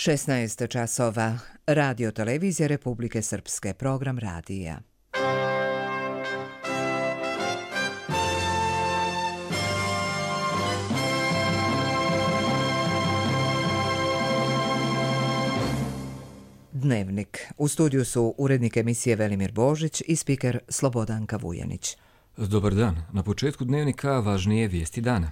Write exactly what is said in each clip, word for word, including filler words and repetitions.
šesnaest časova. Radio televizija Republike Srpske. Program radija. Dnevnik. U studiju su urednik emisije Velimir Božić i spiker Slobodanka Vujanić. Dobar dan. Na početku dnevnika važnije vijesti dana.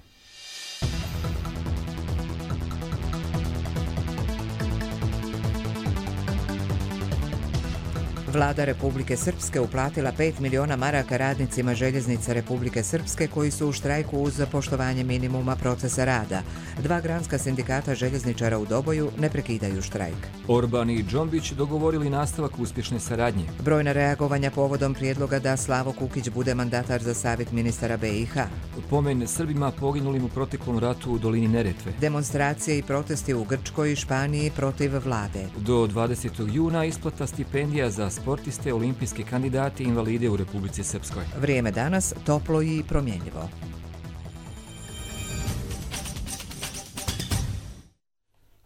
Vlada Republike Srpske uplatila pet miliona maraka radnicima željeznica Republike Srpske koji su u štrajku uz poštovanje minimuma procesa rada. Dva granska sindikata željezničara u Doboju ne prekidaju štrajk. Orban i Džombić dogovorili nastavak uspješne saradnje. Brojna reagovanja povodom prijedloga da Slavo Kukić bude mandatar za savjet ministara B i H. Pomen Srbima poginulim u proteklom ratu u dolini Neretve. Demonstracije i protesti u Grčkoj i Španiji protiv vlade. Do dvadesetog juna isplata stipendija za sportiste, olimpijske kandidate i invalide u Republici Srpskoj. Vrijeme danas toplo i promjenljivo.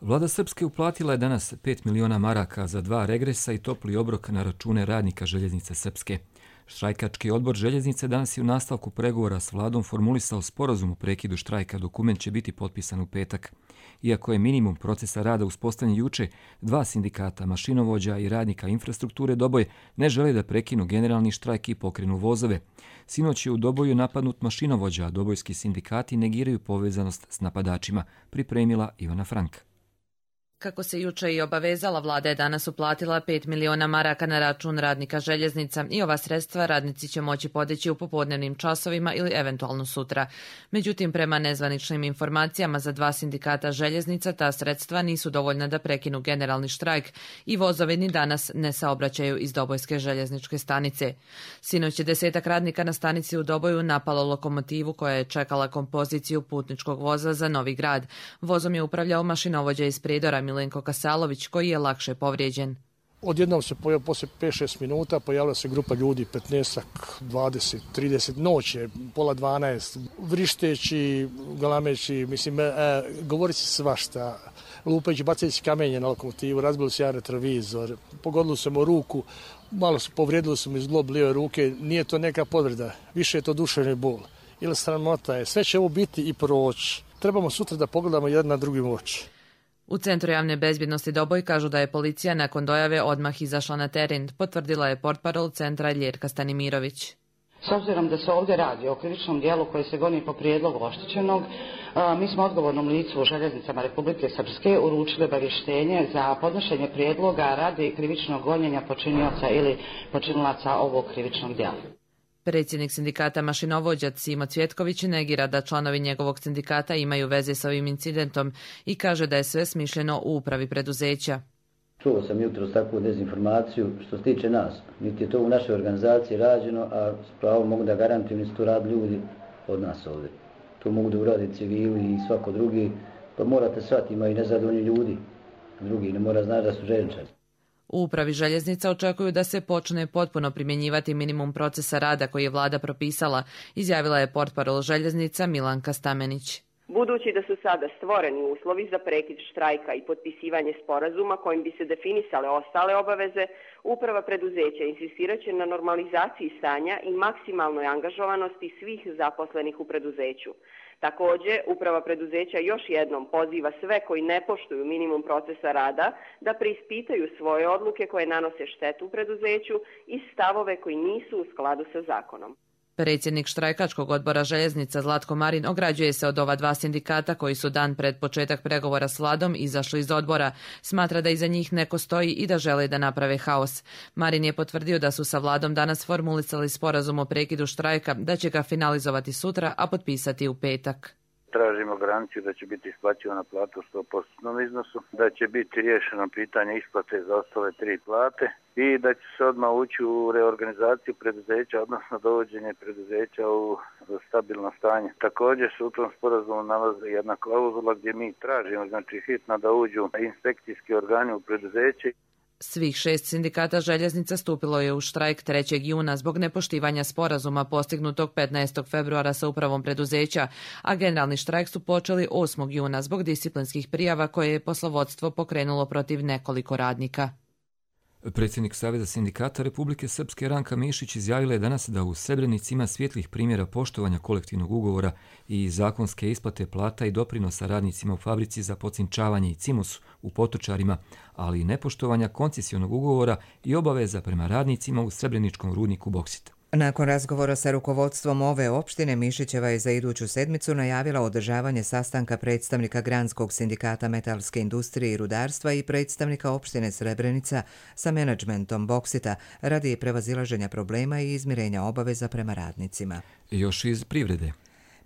Vlada Srpske uplatila je danas pet miliona maraka za dva regresa i topli obrok na račune radnika željeznice Srpske. Štrajkački odbor željeznice danas je u nastavku pregovora s vladom formulisao sporazum o prekidu štrajka. Dokument će biti potpisan u petak. Iako je minimum procesa rada uspostavljen juče, dva sindikata, mašinovođa i radnika infrastrukture Doboj ne žele da prekinu generalni štrajk i pokrenu vozove. Sinoć je u Doboju napadnut mašinovođa, a dobojski sindikati negiraju povezanost s napadačima, pripremila Ivana Frank. Kako se juče i obavezala, vlada je danas uplatila pet miliona maraka na račun radnika željeznica i ova sredstva radnici će moći podići u popodnevnim časovima ili eventualno sutra. Međutim, prema nezvaničnim informacijama za dva sindikata željeznica, ta sredstva nisu dovoljna da prekinu generalni štrajk i vozovi ni danas ne saobraćaju iz Dobojske željezničke stanice. Sinoć je desetak radnika na stanici u Doboju napalo lokomotivu koja je čekala kompoziciju putničkog voza za Novi Grad. Vozom je upravljao mašinovođa iz Pridora Milenko Kasalović, koji je lakše povrijeđen. Odjednom se pojavio poslije pet šest minuta, pojavila se grupa ljudi, petnaest, dvadeset, trideset, noće, pola dvanaest, vrišteći, galameći, mislim, e, govorići svašta, lupajući, bacajući kamenje na lokomotivu, razbili su jedan retrovizor, pogodili su mu ruku, malo su povrijedili su mi zglob lijeve ruke, nije to neka povreda, više je to duševni bol. Ili sramota je, sve će ovo biti i proći. Trebamo sutra da pogledamo jedan na drugi oči. U Centru javne bezbjednosti Doboj kažu da je policija nakon dojave odmah izašla na teren, potvrdila je portparol centra Ljerka Stanimirović. S obzirom da se ovdje radi o krivičnom dijelu koji se goni po prijedlogu oštećenog, mi smo odgovornom licu u željeznicama Republike Srpske uručili obavještenje za podnošenje prijedloga radi krivičnog gonjenja počinioca ili počinilaca ovog krivičnog dijela. Predsjednik sindikata mašinovođa Simo Cvjetković negira da članovi njegovog sindikata imaju veze s ovim incidentom i kaže da je sve smišljeno u upravi preduzeća. Čuo sam jutros takvu dezinformaciju što se tiče nas. Niti je to u našoj organizaciji rađeno, a s pravom mogu da garantujem da su to radili ljudi od nas ovdje. To mogu da uradi civili i svako drugi, pa morate shvatiti, imaju nezadovoljni ljudi. Drugi ne mora znati da su željezničari. U upravi željeznica očekuju da se počne potpuno primjenjivati minimum procesa rada koji je vlada propisala, izjavila je portparol željeznica Milanka Stamenić. Budući da su sada stvoreni uslovi za prekid štrajka i potpisivanje sporazuma kojim bi se definisale ostale obaveze, uprava preduzeća insistirat će na normalizaciji stanja i maksimalnoj angažovanosti svih zaposlenih u preduzeću. Također, uprava preduzeća još jednom poziva sve koji ne poštuju minimum procesa rada da preispitaju svoje odluke koje nanose štetu u preduzeću i stavove koji nisu u skladu sa zakonom. Predsjednik štrajkačkog odbora željeznica Zlatko Marin ograđuje se od ova dva sindikata koji su dan pred početak pregovora s vladom izašli iz odbora. Smatra da iza njih neko stoji i da žele da naprave haos. Marin je potvrdio da su sa vladom danas formulisali sporazum o prekidu štrajka, da će ga finalizovati sutra, a potpisati u petak. Tražimo garanciju da će biti isplaćivana plata u sto posto iznosu, da će biti riješeno pitanje isplate za ostale tri plate i da će se odmah ući u reorganizaciju preduzeća, odnosno dovođenje preduzeća u stabilno stanje. Također se u tom sporazumu nalazi jedna klauzula gdje mi tražimo, znači hitno da uđu inspekcijski organi u preduzeće. Svih šest sindikata željeznica stupilo je u štrajk trećeg juna zbog nepoštivanja sporazuma postignutog petnaestog februara sa upravom preduzeća, a generalni štrajk su počeli osmog juna zbog disciplinskih prijava koje je poslovodstvo pokrenulo protiv nekoliko radnika. Predsjednik Saveza sindikata Republike Srpske Ranka Mišić izjavila je danas da u Srebrenici ima svjetlih primjera poštovanja kolektivnog ugovora i zakonske isplate plata i doprinosa radnicima u fabrici za pocinčavanje i Cimos u Potočarima, ali i nepoštovanja koncesionog ugovora i obaveza prema radnicima u Srebreničkom rudniku Boksit. Nakon razgovora sa rukovodstvom ove opštine, Mišićeva je za iduću sedmicu najavila održavanje sastanka predstavnika Granskog sindikata metalske industrije i rudarstva i predstavnika opštine Srebrenica sa menadžmentom Boksita radi prevazilaženja problema i izmirenja obaveza prema radnicima. Još iz privrede.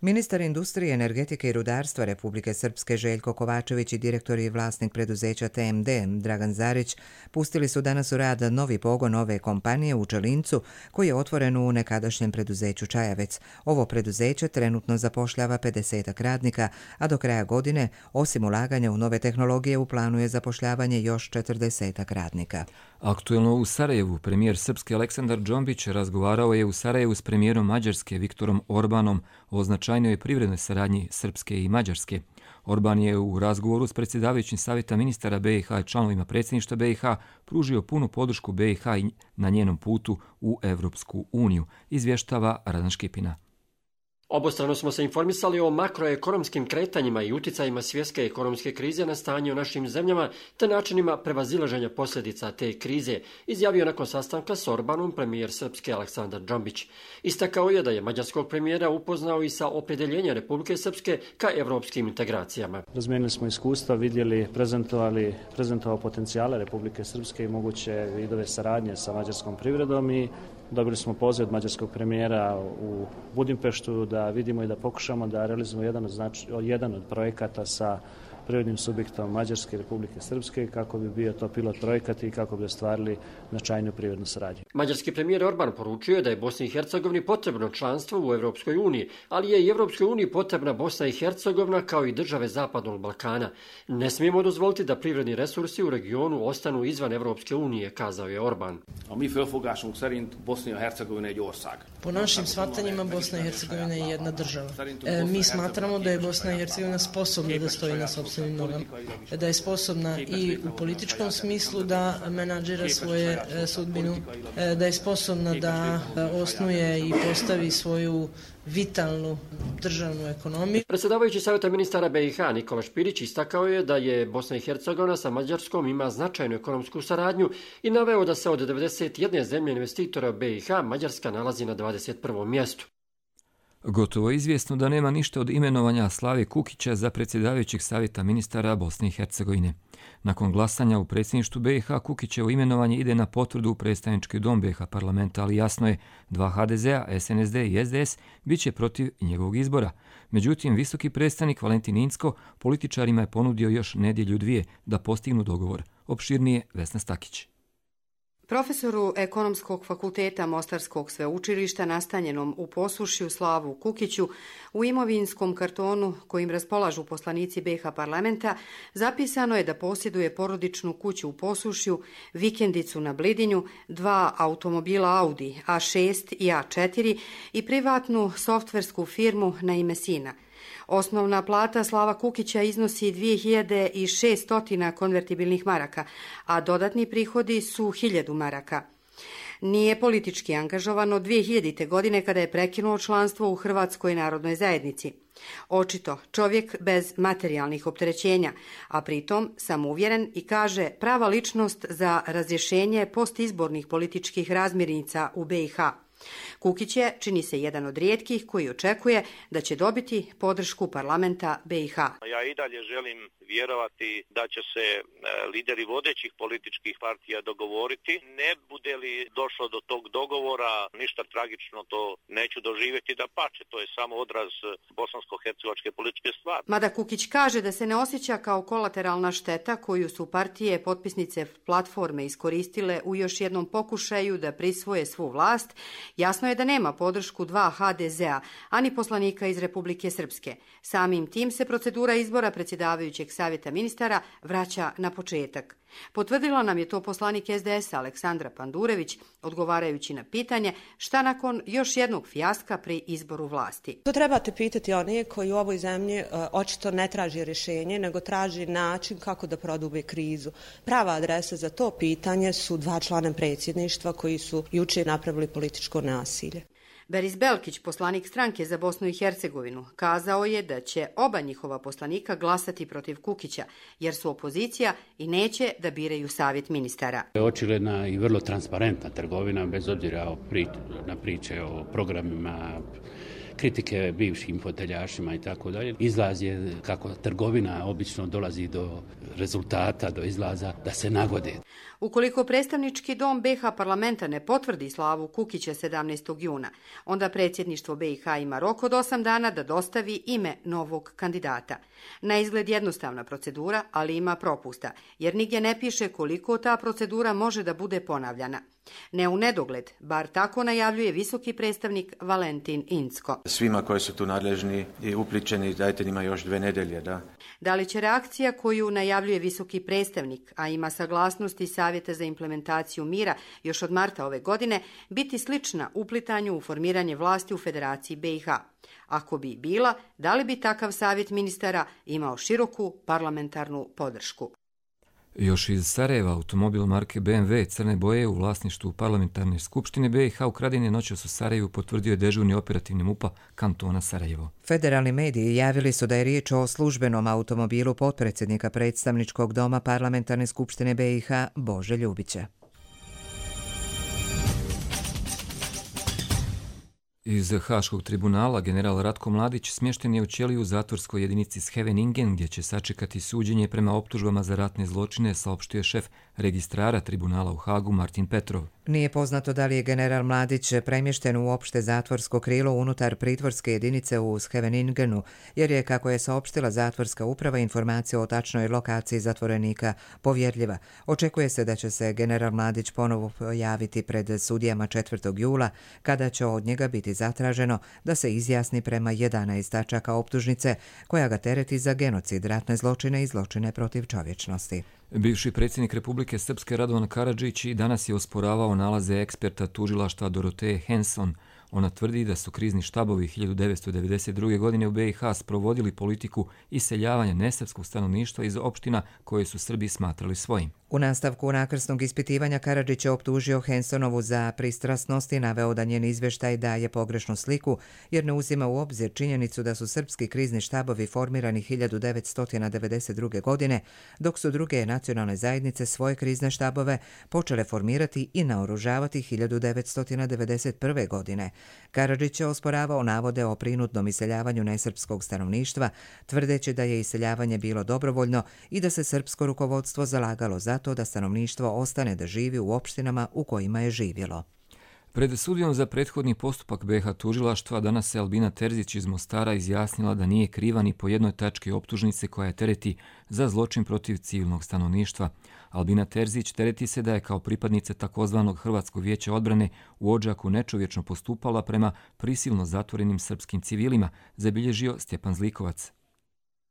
Ministar industrije, energetike i rudarstva Republike Srpske Željko Kovačević i direktor i vlasnik preduzeća T M D Dragan Zarić pustili su danas u rad novi pogon ove kompanije u Čelincu koji je otvoren u nekadašnjem preduzeću Čajavec. Ovo preduzeće trenutno zapošljava pedeset radnika, a do kraja godine, osim ulaganja u nove tehnologije, u planu je zapošljavanje još četrdeset radnika. Aktuelno u Sarajevu, premijer Srpske Aleksandar Džombić razgovarao je u Sarajevu s premijerom Mađarske Viktorom Orbanom o značajnoj privrednoj saradnji Srpske i Mađarske. Orban je u razgovoru s predsjedavajućim savjeta ministara B i H i članovima predsjedništva B i H pružio punu podršku B i H na njenom putu u Evropsku uniju, izvještava Radan Škipina. Obostrano smo se informisali o makroekonomskim kretanjima i uticajima svjetske ekonomske krize na stanje u našim zemljama te načinima prevazilaženja posljedica te krize, izjavio nakon sastanka s Orbanom premijer Srpske Aleksandar Džombić. Istakao je da je mađarskog premijera upoznao i sa opredjeljenjem Republike Srpske ka evropskim integracijama. Razmijenili smo iskustva, vidjeli, prezentovali, prezentovao potencijale Republike Srpske i moguće vidove saradnje sa mađarskom privredom i dobili smo poziv od mađarskog premijera u Budimpeštu da vidimo i da pokušamo da realizujemo jedan od, znači, jedan od projekata sa privrednim subjektom Mađarske i Republike Srpske kako bi bio to pilot projekat i kako bi ostvarili značajnu privrednu saradnju. Mađarski premijer Orban poručio je da je Bosni i Hercegovini potrebno članstvo u Evropskoj uniji, ali je i Evropskoj uniji potrebna Bosna i Hercegovina kao i države Zapadnog Balkana. Ne smijemo dozvoliti da privredni resursi u regionu ostanu izvan Evropske unije, kazao je Orban. A mi felfogásunk szerint Bosna i Hercegovina je ország. Po našim shvatanjima Bosna i Hercegovina je jedna država. E, mi smatramo da je Bosna i Hercegovina sposobna da stoji na sopstvenim nogama, da je sposobna i u političkom smislu da menadžira svoje e, sudbinu, e, da je sposobna da e, osnuje i postavi svoju vitalnu državnu ekonomiju. Predsjedavajući savjeta ministara B i H Nikola Špirić istakao je da je Bosna i Hercegovina sa Mađarskom ima značajnu ekonomsku saradnju i naveo da se od devedeset jedne zemlje investitora B i H Mađarska nalazi na dvadeset prvom mjestu. Gotovo je izvjesno da nema ništa od imenovanja Slave Kukića za predsjedavajućeg savjeta ministara Bosne i Hercegovine. Nakon glasanja u predsjedništvu B i H Kukićevo imenovanje ide na potvrdu u predstavnički dom B i H parlamenta, ali jasno je, dva H D Z A, S N S D i S D S bit će protiv njegovog izbora. Međutim, visoki predstavnik Valentin Incko političarima je ponudio još nedjelju dvije da postignu dogovor. Opširnije Vesna Stakić. Profesoru Ekonomskog fakulteta Mostarskog sveučilišta nastanjenom u Posušju Slavu Kukiću u imovinskom kartonu kojim raspolažu poslanici B i H parlamenta zapisano je da posjeduje porodičnu kuću u Posušju, vikendicu na Blidinju, dva automobila Audi A šest i A četiri i privatnu softversku firmu na ime sina. Osnovna plata Slava Kukića iznosi dvije hiljade šesto konvertibilnih maraka, a dodatni prihodi su hiljadu maraka. Nije politički angažovan od dvije hiljadite. godine kada je prekinuo članstvo u Hrvatskoj narodnoj zajednici. Očito čovjek bez materijalnih opterećenja, a pritom samouvjeren i kaže prava ličnost za razrješenje postizbornih političkih razmirnica u B i H. Kukić je, čini se, jedan od rijetkih koji očekuje da će dobiti podršku parlamenta B i H. Ja i dalje želim vjerovati da će se lideri vodećih političkih partija dogovoriti. Ne bude li došlo do tog dogovora, ništa tragično to neću doživjeti, da pače. To je samo odraz bosansko-hercegovačke političke stvari. Mada Kukić kaže da se ne osjeća kao kolateralna šteta koju su partije potpisnice platforme iskoristile u još jednom pokušaju da prisvoje svu vlast, jasno je da nema podršku dva H D Z A, ani poslanika iz Republike Srpske. Samim tim se procedura izbora predsjedavajućeg savjeta ministara vraća na početak. Potvrdila nam je to poslanik S D S-a Aleksandra Pandurević, odgovarajući na pitanje šta nakon još jednog fijaska pri izboru vlasti. To trebate pitati one koji u ovoj zemlji uh, očito ne traži rješenje, nego traži način kako da prodube krizu. Prava adresa za to pitanje su dva člana predsjedništva koji su jučer napravili političko nasilje. Beris Belkić, poslanik stranke za Bosnu i Hercegovinu, kazao je da će oba njihova poslanika glasati protiv Kukića, jer su opozicija i neće da biraju savjet ministara. Očigledna i vrlo transparentna trgovina, bez obzira na priče o programima, kritike bivšim foteljašima i tako dalje. Izlaz je kako trgovina obično dolazi do rezultata, do izlaza, da se nagode. Ukoliko predstavnički dom B H parlamenta ne potvrdi slavu Kukića sedamnaestog juna, onda predsjedništvo B i H ima rok od osam dana da dostavi ime novog kandidata. Na izgled jednostavna procedura, ali ima propusta, jer nigdje ne piše koliko ta procedura može da bude ponavljana. Ne u nedogled, bar tako najavljuje visoki predstavnik Valentin Incko. Svima koji su tu nadležni i upličeni, dajte njima još dve nedelje, da. Da li će reakcija koju najavljuje visoki predstavnik, a ima saglasnosti Savjeta za implementaciju mira još od marta ove godine, biti slična uplitanju u formiranje vlasti u Federaciji B i H? Ako bi bila, da li bi takav savjet ministara imao široku parlamentarnu podršku? Još iz Sarajeva automobil marke B M W crne boje u vlasništvu parlamentarne skupštine B i H ukraden je noćas u Sarajevu, potvrdio je dežurni operativni MUP-a kantona Sarajevo. Federalni mediji javili su da je riječ o službenom automobilu potpredsjednika predstavničkog doma parlamentarne skupštine B i H Bože Ljubića. Iz Haškog tribunala general Ratko Mladić smješten je u ćeliju u zatvorskoj jedinici Scheveningen, gdje će sačekati suđenje prema optužbama za ratne zločine, saopštio šef registrara tribunala u Hagu Martin Petrov. Nije poznato da li je general Mladić premješten u opšte zatvorsko krilo unutar pritvorske jedinice u Scheveningenu, jer je, kako je saopštila zatvorska uprava, informacija o tačnoj lokaciji zatvorenika povjerljiva. Očekuje se da će se general Mladić ponovo pojaviti pred sudijama četvrtog jula, kada će od njega biti zatraženo da se izjasni prema jedanaest tačaka optužnice koja ga tereti za genocid, ratne zločine i zločine protiv čovječnosti. Bivši predsjednik Republike Srpske Radovan Karadžić i danas je osporavao nalaze eksperta tužilaštva Doroteje Henson. Ona tvrdi da su krizni štabovi hiljadu devetsto devedeset druge. godine u B i H sprovodili politiku iseljavanja nesrpskog stanovništva iz opština koje su Srbi smatrali svojim. U nastavku nakrsnog ispitivanja Karadžić je optužio Hensonovu za pristrasnost i naveo da njen izvještaj daje pogrešnu sliku, jer ne uzima u obzir činjenicu da su srpski krizni štabovi formirani hiljadu devetsto devedeset druge. godine, dok su druge nacionalne zajednice svoje krizne štabove počele formirati i naoružavati hiljadu devetsto devedeset prve. godine. Karadžić je osporavao navode o prinudnom iseljavanju nesrpskog stanovništva, tvrdeći da je iseljavanje bilo dobrovoljno i da se srpsko rukovodstvo zalagalo za to da stanovništvo ostane da živi u opštinama u kojima je živjelo. Pred sudijom za prethodni postupak B H tužilaštva danas se Albina Terzić iz Mostara izjasnila da nije kriva ni po jednoj tački optužnice koja je tereti za zločin protiv civilnog stanovništva. Albina Terzić tereti se da je kao pripadnica takozvanog Hrvatskog vijeća odbrane u Odžaku nečovječno postupala prema prisilno zatvorenim srpskim civilima, zabilježio Stjepan Zlikovac.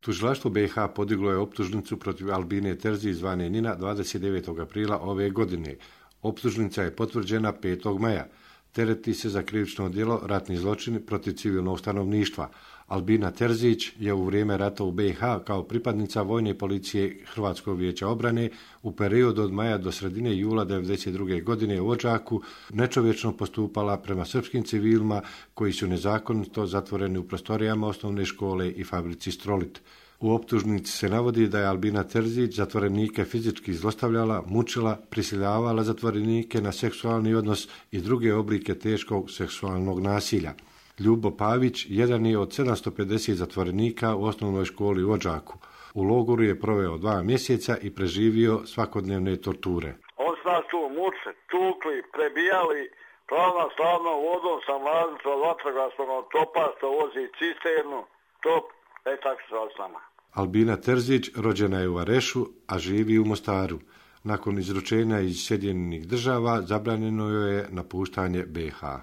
Tužilaštvo B i H podiglo je optužnicu protiv Albine Terzić zvane Nina dvadeset devetog aprila ove godine. Optužnica je potvrđena petog maja. Tereti se za krivično djelo ratni zločin protiv civilnog stanovništva. Albina Terzić je u vrijeme rata u B i H kao pripadnica vojne policije Hrvatskog vijeća obrane u periodu od maja do sredine jula devedeset druge. godine u Odžaku nečovječno postupala prema srpskim civilima koji su nezakonito zatvoreni u prostorijama osnovne škole i fabrici Strolit. U optužnici se navodi da je Albina Terzić zatvorenike fizički zlostavljala, mučila, prisiljavala zatvorenike na seksualni odnos i druge oblike teškog seksualnog nasilja. Ljubo Pavić jedan je od sedamsto pedeset zatvorenika u osnovnoj školi u Odžaku. U logoru je proveo dva mjeseca i preživio svakodnevne torture. On su nas tu mučili, tukli, prebijali, glavna slavnom vodom sa mladnicom vatrogasnog topa što vozi cisternu, top, e tako su s nama. Albina Terzić rođena je u Varešu, a živi u Mostaru. Nakon izručenja iz Sjedinjenih država zabranjeno joj je napuštanje B i H.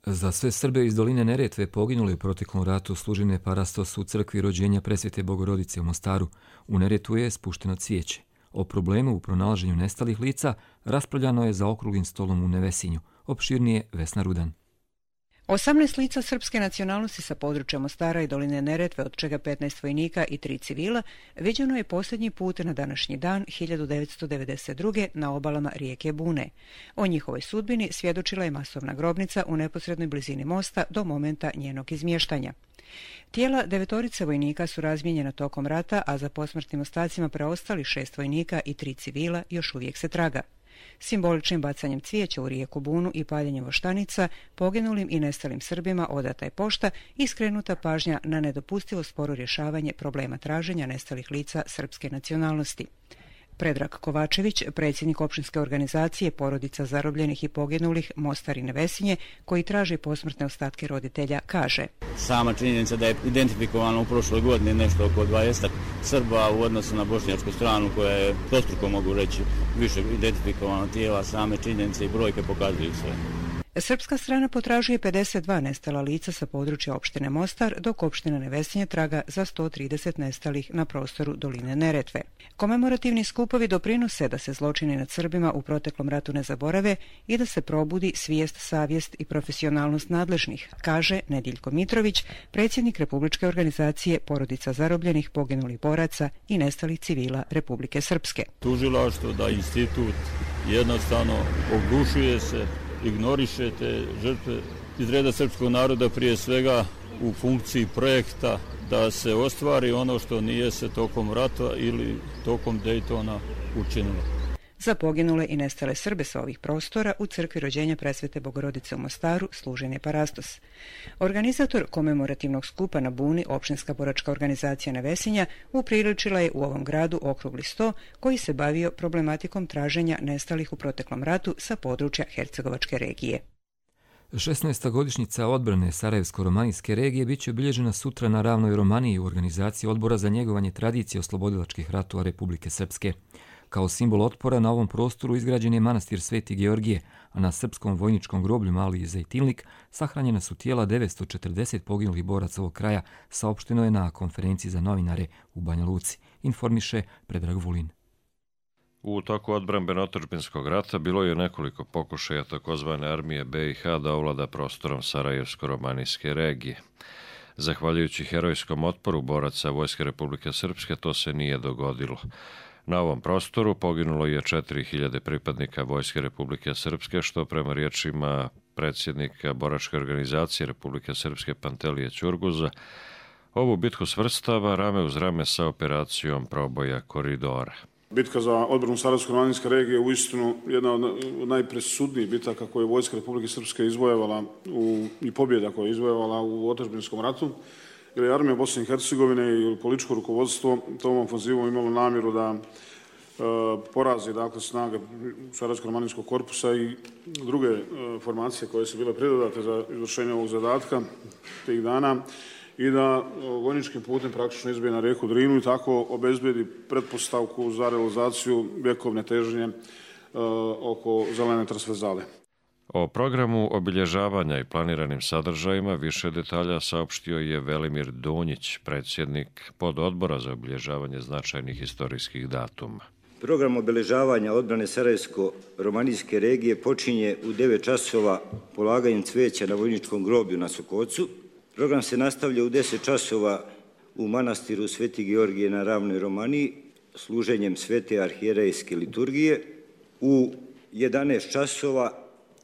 Za sve Srbe iz doline Neretve poginuli u proteklom ratu služine parastos u crkvi rođenja Presvete Bogorodice u Mostaru. U Neretvu je spušteno cvijeće. O problemu u pronalaženju nestalih lica raspravljano je za okruglim stolom u Nevesinju. Opširnije Vesna Rudan. osamnaest lica srpske nacionalnosti sa područja Mostara i doline Neretve, od čega petnaest vojnika i tri civila, viđeno je posljednji put na današnji dan hiljadu devetsto devedeset druge. na obalama rijeke Bune. O njihovoj sudbini svjedočila je masovna grobnica u neposrednoj blizini mosta do momenta njenog izmještanja. Tijela devetorice vojnika su razmijenjena tokom rata, a za posmrtnim ostacima preostali šest vojnika i tri civila još uvijek se traga. Simboličnim bacanjem cvijeća u rijeku Bunu i paljenjem voštanica poginulim i nestalim Srbima odata je pošta i skrenuta pažnja na nedopustivo sporo rješavanje problema traženja nestalih lica srpske nacionalnosti. Predrag Kovačević, predsjednik opštinske organizacije Porodica zarobljenih i poginulih Mostar i Nevesinje, koji traži posmrtne ostatke roditelja, kaže: Sama činjenica da je identifikovano u prošloj godini nešto oko dvadeset Srba u odnosu na bošnjačku stranu, koja je dvostruko, mogu reći, više identifikovano tijela, same činjenice i brojke pokazuju sve. Srpska strana potražuje pedeset dva nestala lica sa područja opštine Mostar, dok opština Nevesinje traga za sto trideset nestalih na prostoru doline Neretve. Komemorativni skupovi doprinose da se zločini nad Srbima u proteklom ratu ne zaborave i da se probudi svijest, savjest i profesionalnost nadležnih, kaže Nediljko Mitrović, predsjednik Republičke organizacije Porodica zarobljenih, poginulih boraca i nestalih civila Republike Srpske. Tužilaštvo da institut jednostavno oglušuje se, ignoriše te žrtve iz reda srpskog naroda, prije svega u funkciji projekta da se ostvari ono što nije se tokom rata ili tokom Dejtona učinilo. Za poginule i nestale Srbe sa ovih prostora u crkvi rođenja Presvete Bogorodice u Mostaru služen je parastos. Organizator komemorativnog skupa na Buni, opštinska boračka organizacija Nevesinja, upriličila je u ovom gradu okrugli sto koji se bavio problematikom traženja nestalih u proteklom ratu sa područja Hercegovačke regije. šesnaesta godišnjica odbrane Sarajevsko-romanijske regije biće obilježena sutra na Ravnoj Romaniji u organizaciji Odbora za njegovanje tradicije oslobodilačkih ratova Republike Srpske. Kao simbol otpora na ovom prostoru izgrađen je manastir Sveti Georgije, a na srpskom vojničkom groblju Mali Zejtilnik sahranjena su tijela devetsto četrdeset poginulih boraca ovog kraja, saopšteno je na konferenciji za novinare u Banja Luci, informiše Predrag Vulin. U toku odbrambeno-otadžbinskog rata bilo je nekoliko pokušaja takozvane armije be i ha da ovlada prostorom Sarajevsko-romanijske regije. Zahvaljujući herojskom otporu boraca Vojske Republike Srpske to se nije dogodilo. Na ovom prostoru poginulo je četiri hiljade pripadnika Vojske Republike Srpske, što prema riječima predsjednika boračke organizacije Republike Srpske Pantelije Ćurguza ovu bitku svrstava rame uz rame sa operacijom proboja koridora. Bitka za odbranu Sarajevsko-romanijske regije je uistinu jedna od najpresudnijih bitaka koje je Vojska Republike Srpske izvojevala u, i pobjeda koje je izvojevala u otadžbinskom ratu, jer je armija Bosne i Hercegovine i političko rukovodstvo tom ofanzivom imalo namjeru da e, porazi dakle, snage Sarajevsko-romanijskog korpusa i druge e, formacije koje su bile pridodate za izvršenje ovog zadatka tih dana i da vojničkim putem praktično izbije na rijeku Drinu i tako obezbedi pretpostavku za realizaciju vjekovne težnje e, oko zelene transverzale. O programu obilježavanja i planiranim sadržajima više detalja saopštio je Velimir Donjić, predsjednik pododbora za obilježavanje značajnih historijskih datuma. Program obilježavanja odbrane Sarajevsko-romanijske regije počinje u devet časova polaganjem cvijeća na vojničkom groblju na Sokocu. Program se nastavlja u deset časova u manastiru Sveti Georgije na Ravnoj Romaniji služenjem svete arhijerejske liturgije. U jedanaest časova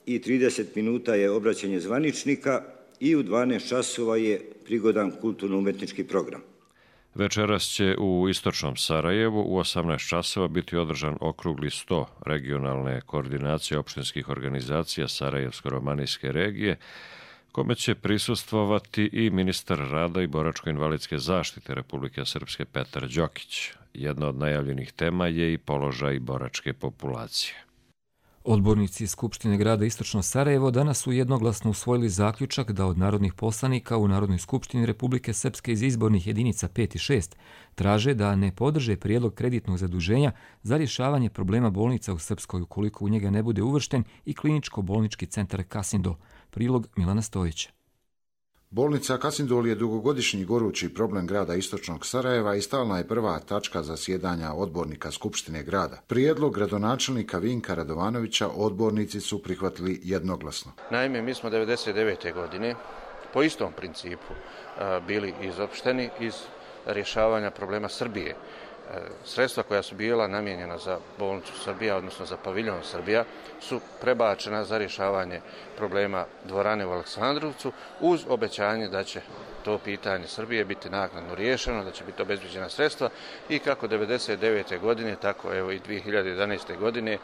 i trideset minuta je obraćanje zvaničnika i u dvanaest časova je prigodan kulturno-umetnički program. Večeras će u istočnom Sarajevu u osamnaest časova biti održan okrugli sto regionalne koordinacije opštinskih organizacija Sarajevsko-romanijske regije, kome će prisustvovati i ministar rada i boračko-invalidske zaštite Republike Srpske Petar Đokić. Jedna od najavljenih tema je i položaj boračke populacije. Odbornici Skupštine grada Istočno Sarajevo danas su jednoglasno usvojili zaključak da od narodnih poslanika u Narodnoj skupštini Republike Srpske iz izbornih jedinica pet i šest traže da ne podrže prijedlog kreditnog zaduženja za rješavanje problema bolnica u Srpskoj ukoliko u njega ne bude uvršten i kliničko-bolnički centar Kasindo. Prilog Milana Stojića. Bolnica Kasindol je dugogodišnji gorući problem grada Istočnog Sarajeva i stalna je prva tačka zasjedanja odbornika Skupštine grada. Prijedlog gradonačelnika Vinka Radovanovića odbornici su prihvatili jednoglasno. Naime, mi smo devedeset devete. godine po istom principu bili izopšteni iz rješavanja problema Srbije. Sredstva koja su bila namijenjena za bolnicu Srbija, odnosno za paviljon Srbija, su prebačena za rješavanje problema dvorane u Aleksandrovcu uz obećanje da će to pitanje Srbije biti naknadno riješeno, da će biti obezbeđena sredstva i kako devedeset devete. godine, tako evo i dvije hiljade jedanaeste. godine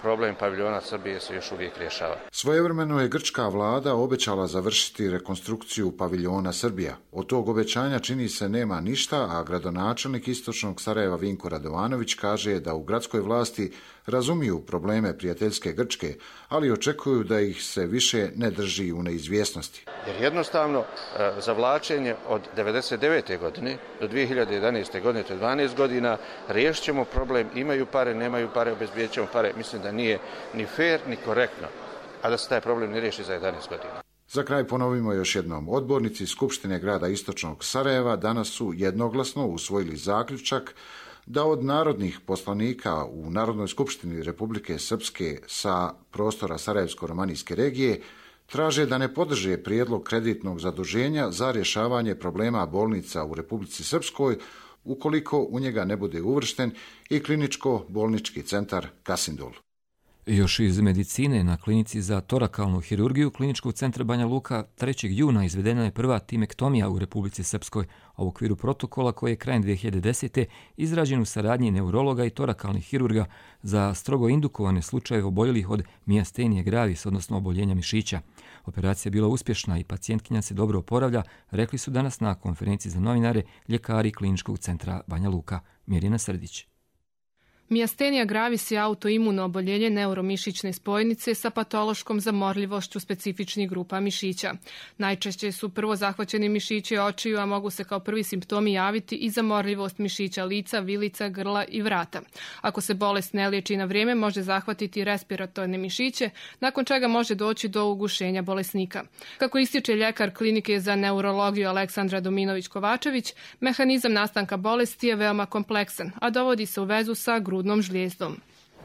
problem paviljona Srbije se još uvijek rješava. Svojevremeno je grčka vlada obećala završiti rekonstrukciju paviljona Srbija. Od tog obećanja čini se nema ništa, a gradonačelnik Istočnog Sarajeva Vinko Radovanović kaže da u gradskoj vlasti razumiju probleme prijateljske Grčke, ali očekuju da ih se više ne drži u neizvjesnosti. Jer jednostavno zavlačenje od devedeset devete. godine do dvije hiljade jedanaeste. godine, to je dvanaest godina, riješit ćemo problem, imaju pare, nemaju pare, obezbijedit ćemo pare. Mislim da nije ni fair ni korektno, a da se taj problem ne riješi za jedanaest godina. Za kraj ponovimo još jednom. Odbornici Skupštine grada Istočnog Sarajeva danas su jednoglasno usvojili zaključak da od narodnih poslanika u Narodnoj skupštini Republike Srpske sa prostora Sarajevsko-romanijske regije traže da ne podrže prijedlog kreditnog zaduženja za rješavanje problema bolnica u Republici Srpskoj ukoliko u njega ne bude uvršten i kliničko-bolnički centar Kasindol. Još iz medicine, na klinici za torakalnu hirurgiju Kliničkog centra Banja Luka trećeg juna izvedena je prva timektomija u Republici Srpskoj, a u okviru protokola koji je krajem dvije hiljade desete. izrađen u saradnji neurologa i torakalnih hirurga za strogo indukovane slučajeve oboljelih od miastenije gravis, odnosno oboljenja mišića. Operacija je bila uspješna i pacijentkinja se dobro oporavlja, rekli su danas na konferenciji za novinare ljekari Kliničkog centra Banja Luka. Mirjana Srdić. Miastenija gravis je autoimuno oboljenje neuromišićne spojnice sa patološkom zamorljivošću specifičnih grupa mišića. Najčešće su prvo zahvaćeni mišići očiju, a mogu se kao prvi simptomi javiti i zamorljivost mišića lica, vilica, grla i vrata. Ako se bolest ne liječi na vrijeme, može zahvatiti respiratorne mišiće, nakon čega može doći do ugušenja bolesnika. Kako ističe ljekar klinike za neurologiju Aleksandra Dominović-Kovačević, mehanizam nastanka bolesti je veoma kompleksan, a dovodi se u vezu sa grudnom žlijezdom.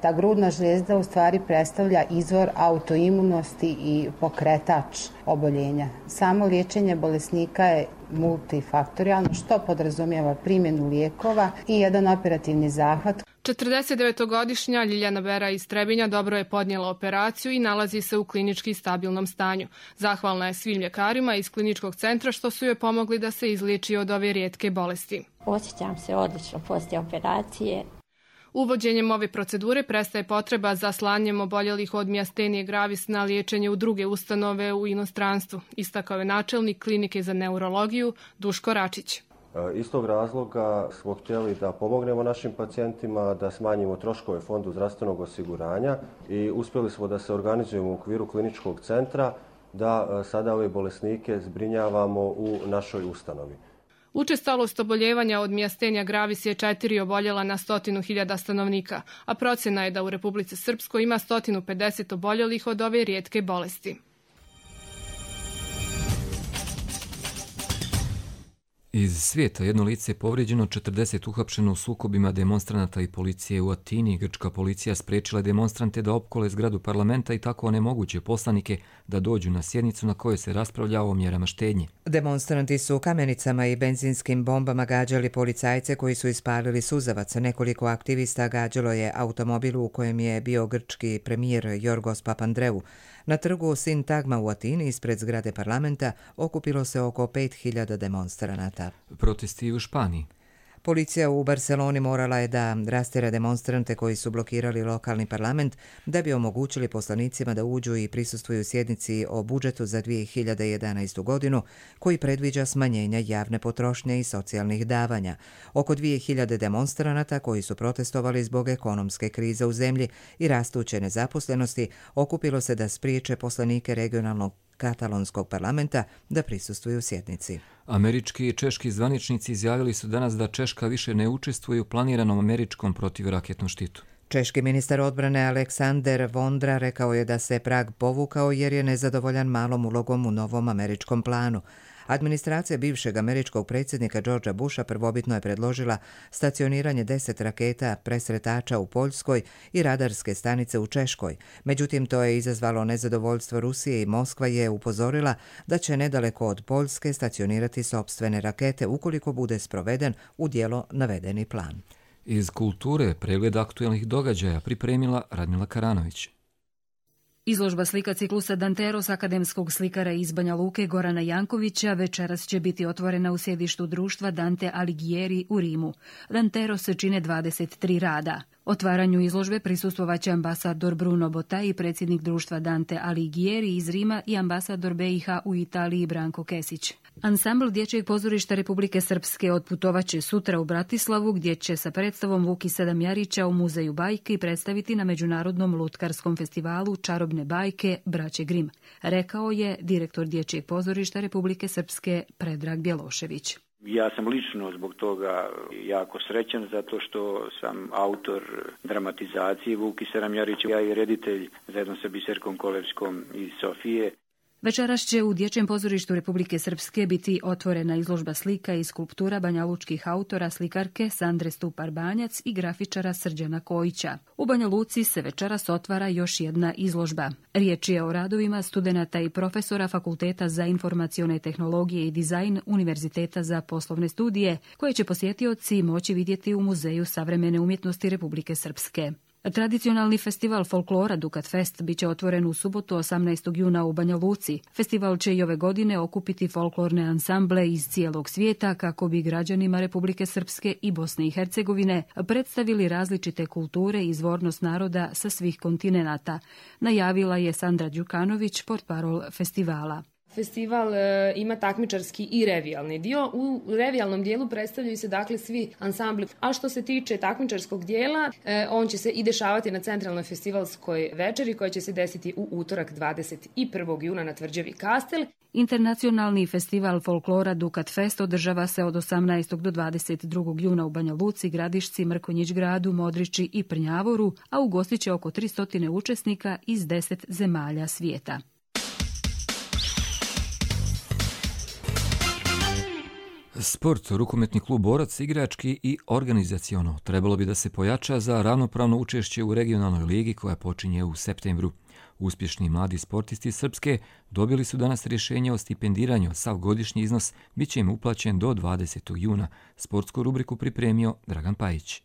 Ta grudna žlijezda u stvari predstavlja izvor autoimunosti i pokretač oboljenja. Samo liječenje bolesnika je multifaktorijalno, što podrazumijeva primjenu lijekova i jedan operativni zahvat. četrdesetdevetogodišnja Ljiljana Bera iz Trebinja dobro je podnijela operaciju i nalazi se u klinički stabilnom stanju. Zahvalna je svim ljekarima iz kliničkog centra što su joj pomogli da se izliječi od ove rijetke bolesti. Osjećam se odlično poslije operacije. Uvođenjem ove procedure prestaje potreba za slanjem oboljelih od miastenije gravis na liječenje u druge ustanove u inostranstvu, istakao je načelnik klinike za neurologiju Duško Račić. Iz tog razloga smo htjeli da pomognemo našim pacijentima, da smanjimo troškove Fondu zdravstvenog osiguranja i uspjeli smo da se organizujemo u okviru kliničkog centra, da sada ove bolesnike zbrinjavamo u našoj ustanovi. Učestalost oboljevanja od miastenija gravis je četiri oboljela na stotinu hiljada stanovnika, a procjena je da u Republici Srpskoj ima sto pedeset oboljelih od ove rijetke bolesti. Iz svijeta jedno lice je povrijeđeno, četrdeset uhapšeno u sukobima demonstranata i policije u Atini. Grčka policija spriječila demonstrante da opkole zgradu parlamenta i tako onemoguće poslanike da dođu na sjednicu na kojoj se raspravlja o mjerama štednje. Demonstranti su kamenicama i benzinskim bombama gađali policajce koji su ispalili suzavac. Nekoliko aktivista gađalo je automobil u kojem je bio grčki premijer Jorgos Papandreou. Na trgu Sintagma u Atini ispred zgrade parlamenta okupilo se oko pet hiljada demonstranata. Protesti u Španiji. Policija u Barceloni morala je da rastjera demonstrante koji su blokirali lokalni parlament da bi omogućili poslanicima da uđu i prisustvuju sjednici o budžetu za dvije hiljade jedanaestu. godinu koji predviđa smanjenja javne potrošnje i socijalnih davanja. Oko dvije hiljade demonstranata koji su protestovali zbog ekonomske krize u zemlji i rastuće nezaposlenosti okupilo se da spriječe poslanike regionalnog katalonskog parlamenta da prisustvuju sjednici. Američki i češki zvaničnici izjavili su danas da Češka više ne učestvuje u planiranom američkom protivraketnom štitu. Češki ministar odbrane Aleksander Vondra rekao je da se Prag povukao jer je nezadovoljan malom ulogom u novom američkom planu. Administracija bivšeg američkog predsjednika Georgea Busha prvobitno je predložila stacioniranje deset raketa presretača u Poljskoj i radarske stanice u Češkoj. Međutim, to je izazvalo nezadovoljstvo Rusije i Moskva je upozorila da će nedaleko od Poljske stacionirati sopstvene rakete ukoliko bude sproveden u djelo navedeni plan. Iz kulture pregled aktuelnih događaja pripremila Radmila Karanović. Izložba slika ciklusa Danteros akademskog slikara iz Banja Luke Gorana Jankovića večeras će biti otvorena u sjedištu društva Dante Alighieri u Rimu. Danteros se čine dvadeset tri rada. Otvaranju izložbe prisustvovaće ambasador Bruno Botai, predsjednik društva Dante Alighieri iz Rima i ambasador B i H u Italiji Branko Kesić. Ansambl Dječjeg pozorišta Republike Srpske otputovaće sutra u Bratislavu gdje će sa predstavom Vuki Sedam Jarića u Muzeju bajke predstaviti na Međunarodnom lutkarskom festivalu Čarobne bajke Braće Grim, rekao je direktor Dječjeg pozorišta Republike Srpske Predrag Bjelošević. Ja sam lično zbog toga jako srećan zato što sam autor dramatizacije Vuki Sedam Jarića, ja i reditelj zajedno sa Biserkom Kolevskom iz Sofije. Večeras će u Dječjem pozorištu Republike Srpske biti otvorena izložba slika i skulptura banjalučkih autora, slikarke Sandre Stupar-Banjac i grafičara Srđana Kojića. U Banja Luci se večeras otvara još jedna izložba. Riječ je o radovima studenata i profesora Fakulteta za informacione tehnologije i dizajn Univerziteta za poslovne studije, koje će posjetioci moći vidjeti u Muzeju savremene umjetnosti Republike Srpske. Tradicionalni festival folklora Dukat Fest biće otvoren u subotu osamnaestog juna u Banja Luci. Festival će i ove godine okupiti folklorne ansamble iz cijelog svijeta kako bi građanima Republike Srpske i Bosne i Hercegovine predstavili različite kulture i izvornost naroda sa svih kontinenata, najavila je Sandra Đukanović, portparol festivala. Festival e, ima takmičarski i revijalni dio. U revijalnom dijelu predstavljaju se dakle svi ansambli. A što se tiče takmičarskog dijela, e, on će se i dešavati na centralnoj festivalskoj večeri koja će se desiti u utorak dvadeset prvog juna na tvrđavi Kastel. Internacionalni festival folklora Dukat Fest održava se od osamnaestog do dvadeset drugog juna u Banja Luci, Gradišci, Mrkonjić Gradu, Modriči i Prnjavoru, a ugostit će oko tristo učesnika iz deset zemalja svijeta. Sport, rukometni klub Borac, igrački i organizaciono trebalo bi da se pojača za ravnopravno učešće u regionalnoj ligi koja počinje u septembru. Uspješni mladi sportisti Srpske dobili su danas rješenje o stipendiranju, sav godišnji iznos bit će im uplaćen do dvadesetog juna. Sportsku rubriku pripremio Dragan Pajić.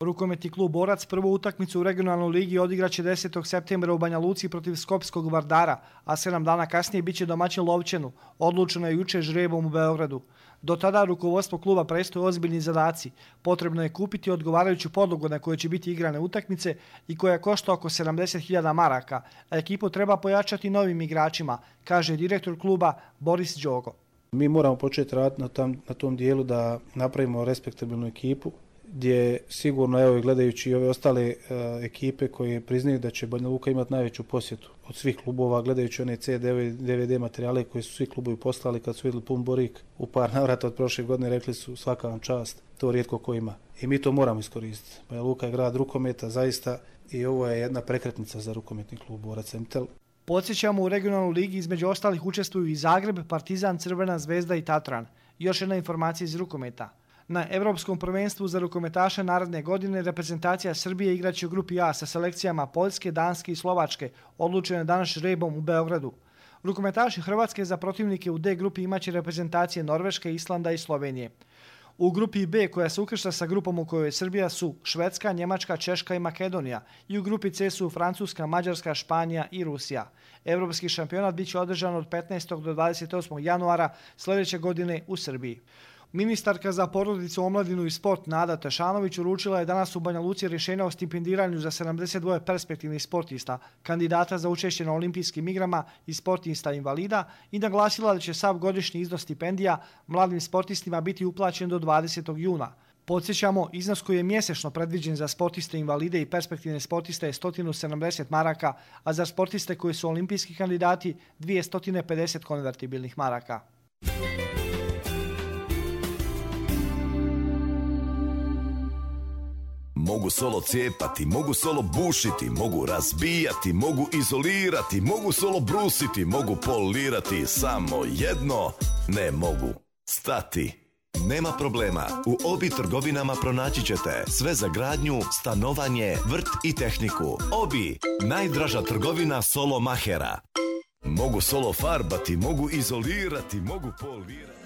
Rukometni klub Borac prvu utakmicu u regionalnoj ligi odigraće desetog septembra u Banja Luci protiv Skopskog Vardara, a sedam dana kasnije biće domaćin Lovćenu. Odlučeno je juče žrebom u Beogradu. Do tada rukovodstvo kluba predstoje ozbiljni zadaci. Potrebno je kupiti odgovarajuću podlogu na kojoj će biti igrane utakmice i koja košta oko sedamdeset hiljada maraka, a ekipu treba pojačati novim igračima, kaže direktor kluba Boris Đogo. Mi moramo početi raditi na tom, na tom dijelu da napravimo respektabilnu ekipu, gdje sigurno, evo gledajući i ove ostale uh, ekipe koje priznaju da će Banja Luka imati najveću posjetu od svih klubova, gledajući one C D V D materijale koje su svi klubovi poslali kad su vidjeli pun borik u par navrata od prošle godine, rekli su svaka vam čast, to rijetko ko ima. I mi to moramo iskoristiti. Banja Luka je grad rukometa zaista i ovo je jedna prekretnica za rukometni klub Borac Emtel. Podsjećamo, u regionalnoj ligi između ostalih učestvuju i Zagreb, Partizan, Crvena zvezda i Tatran. Još jedna informacija iz rukometa. Na Evropskom prvenstvu za rukometaše naredne godine reprezentacija Srbije igraće u grupi A sa selekcijama Poljske, Danske i Slovačke, odlučene danas žrebom u Beogradu. Rukometaši Hrvatske za protivnike u D grupi imaće reprezentacije Norveške, Islanda i Slovenije. U grupi B, koja se ukršta sa grupom u kojoj je Srbija, su Švedska, Njemačka, Češka i Makedonija, i u grupi C su Francuska, Mađarska, Španija i Rusija. Evropski šampionat biće održan od petnaestog do dvadeset osmog januara sljedeće godine u Srbiji. Ministarka za porodicu, omladinu i sport Nada Tešanović uručila je danas u Banja Luci rješenje o stipendiranju za sedamdeset dva perspektivnih sportista, kandidata za učešće na olimpijskim igrama i sportista invalida, i naglasila da će sav godišnji iznos stipendija mladim sportistima biti uplaćen do dvadesetog juna. Podsjećamo, iznos koji je mjesečno predviđen za sportiste invalide i perspektivne sportiste je sto sedamdeset maraka, a za sportiste koji su olimpijski kandidati dvjesto pedeset konvertibilnih maraka. Mogu solo cijepati, mogu solo bušiti, mogu razbijati, mogu izolirati, mogu solo brusiti, mogu polirati, samo jedno ne mogu stati. Nema problema, u Obi trgovinama pronaći ćete sve za gradnju, stanovanje, vrt i tehniku. Obi, najdraža trgovina solo mahera. Mogu solo farbati, mogu izolirati, mogu polirati.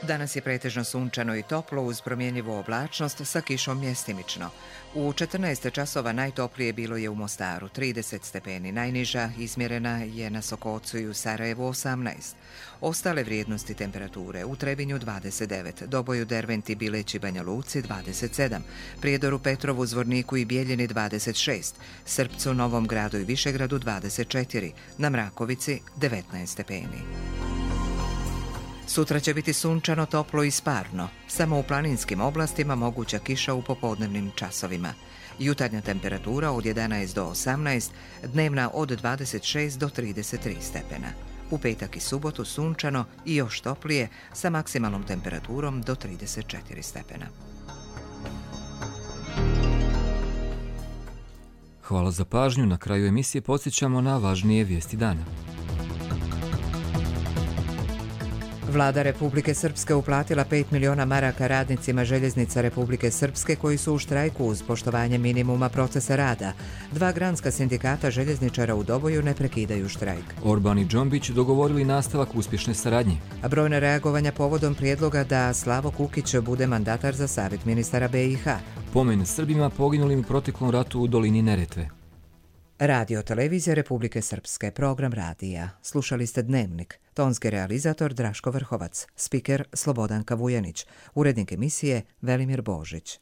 Danas je pretežno sunčano i toplo uz promjenjivu oblačnost sa kišom mjestimično. U četrnaest časova najtoplije bilo je u Mostaru, trideset stepeni. Najniža izmjerena je na Sokocu i u Sarajevu osamnaest. Ostale vrijednosti temperature u Trebinju dvadeset devet, Doboju, Derventi, Bileći, Banja Luci dvadeset sedam, Prijedoru, Petrovu, Zvorniku i Bijeljini dvadeset šest, Srpcu, Novom Gradu i Višegradu dvadeset četiri, na Mrakovici devetnaest stepeni. Sutra će biti sunčano, toplo i sparno. Samo u planinskim oblastima moguća kiša u popodnevnim časovima. Jutarnja temperatura od jedanaest do osamnaest, dnevna od dvadeset šest do trideset tri stepena. U petak i subotu sunčano i još toplije sa maksimalnom temperaturom do trideset četiri stepena. Hvala za pažnju. Na kraju emisije podsjećamo na važnije vijesti dana. Vlada Republike Srpske uplatila pet miliona maraka radnicima željeznica Republike Srpske koji su u štrajku uz poštovanje minimuma procesa rada. Dva granska sindikata željezničara u Doboju ne prekidaju štrajk. Orban i Džombić dogovorili nastavak uspješne saradnje. A brojne reagovanja povodom prijedloga da Slavo Kukić bude mandatar za savjet ministara B i H. Pomen Srbima poginulim u proteklom ratu u dolini Neretve. Radio televizija Republike Srpske, program radija. Slušali ste Dnevnik. Tonski realizator Draško Vrhovac, spiker Slobodanka Vujanić, urednik emisije Velimir Božić.